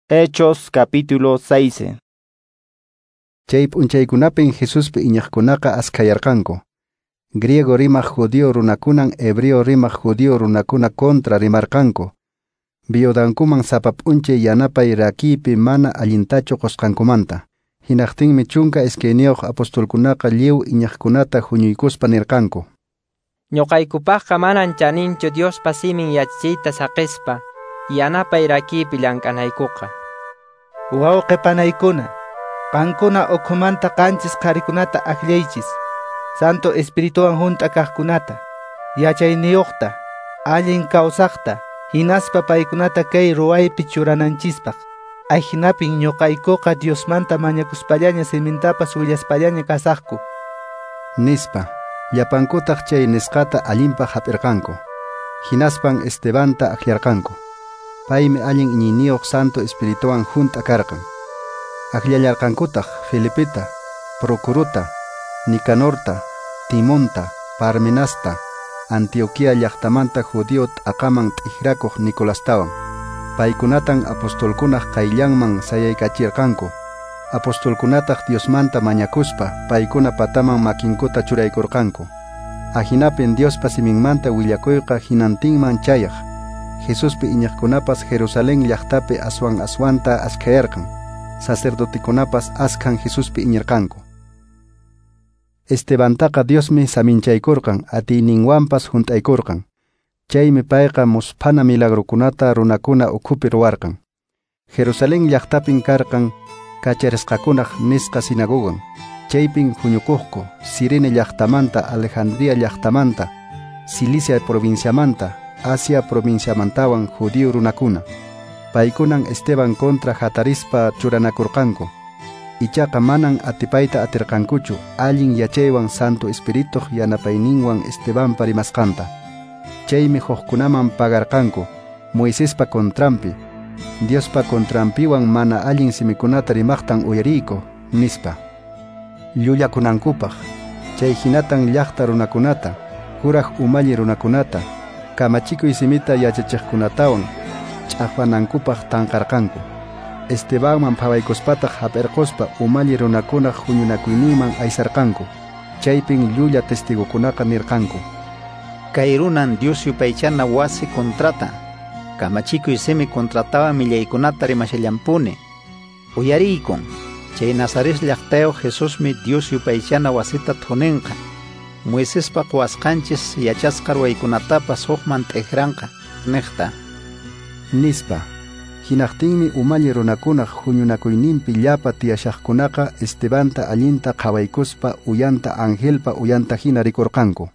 Hechos capítulo 6. Chay p'unchaykunapin Jesuspi iñiqkunaqa askhayarqanku. Griego rimaq judío runakunan hebreo rimaq judío runakuna contra rimarqanku. Viudankuman sapa p'unchay yanapay rakiypi mana allintachu qusqankumanta. Hinaqtinmi 12 apostolkunaqa lliw iñiqkunata huñuykuspa nirqanku: Ñuqaykupaqqa manan chaninchu Diospa simin yachachiyta saqispa yanapay rakiypi llank'anaykuqa. Wawqi panaykuna, qankuna ukhumanta 7 qharikunata akllaychis, Santo Espirituwan hunt'a kaqkunata, yachayniyuqta, allin kawsaqta, hinaspa paykunata kay ruwaypi churananchispaq. Ajinapin ñuqaykuqa Diosmanta mañakuspallaña simintapas willaspallaña kasaqku. Nispa, llapankutaq chay nisqata allinpaq hap'irqanku. Hinaspan Estebanta akllarqanku. Paymi allin iñiyniyuq Santo Espirituwan hunt'a karqan. Akllallarqankutaq Felipeta, Procuruta, Nicanorta, Timonta, Parmenasta, Antioquía llaqtamanta judío t'aqaman t'ikrakuq Nicolastawan. Paykunatan apostolkunaq qayllanman sayaykachirqanku. Apostolkunataq Diosmanta mañakuspa paykuna pataman makinkuta churaykurqanku. Ajinapin Diospa siminmanta willakuyqa hinantinman chayaq. Jesuspi iñiqkunapas Jerusalén llaqtapi aswan aswanta askhayarqan. Sacerdotikunapas askhan Jesuspi iñirqanku. Estebantaqa Diosmi saminchaykurqan, atiyninwanpas hunt'aykurqan. Chaymi payqa musphana milagrukunata runakuna ukhupi ruwarqan. Jerusalén llaqtapin karqan kacharisqakunaq nisqa sinagogan. Chaypin huñukuqku Cirene llaqtamanta, Alejandría llaqtamanta, Cilicia provinciamanta, Asia provinciamantawan judío runakuna. Paykunan Esteban contra hatarispa churanakurqanku. Ichaqa manan atipayta atirqankuchu allin yachaywan Santo Espirituq yanapayninwan Estebanpa rimasqanta. Chaymi hukkunaman pagarqanku Moisespa contranpi, Diospa contranpiwan mana allin simikunata rimaqtan uyariyku, nispa. Llullakunankupaq, chay hinatan llaqta runakunata, kuraq umalli runakunata, kamachikuy simita yachachiqkunatawan ch'aqwanankupaq tanqarqanku. Estebanman phawaykuspataq hap'irquspa umalli runakunaq huñunakuyninman aysarqanku. Chaypin llulla testigukunaqa nirqanku: Kay runan Dios yupaychana wasi contrata, kamachikuy simi contratawan millaykunata rimashallampuni. Uyariykun, chay Nazaret llaqtayuq Jesusmi Dios yupaychana wasita thuninqa, Moisespa quwasqanchis yachasqa ruwaykunatapas hukman t'ikranqa, niqta. Nispa. Hinaqtinmi umalli runakunaq huñunakuyninpi llapa tiyashaqkunaqa Estebanta allinta qhawaykuspa uyanta angelpa uyanta hina rikurqanku.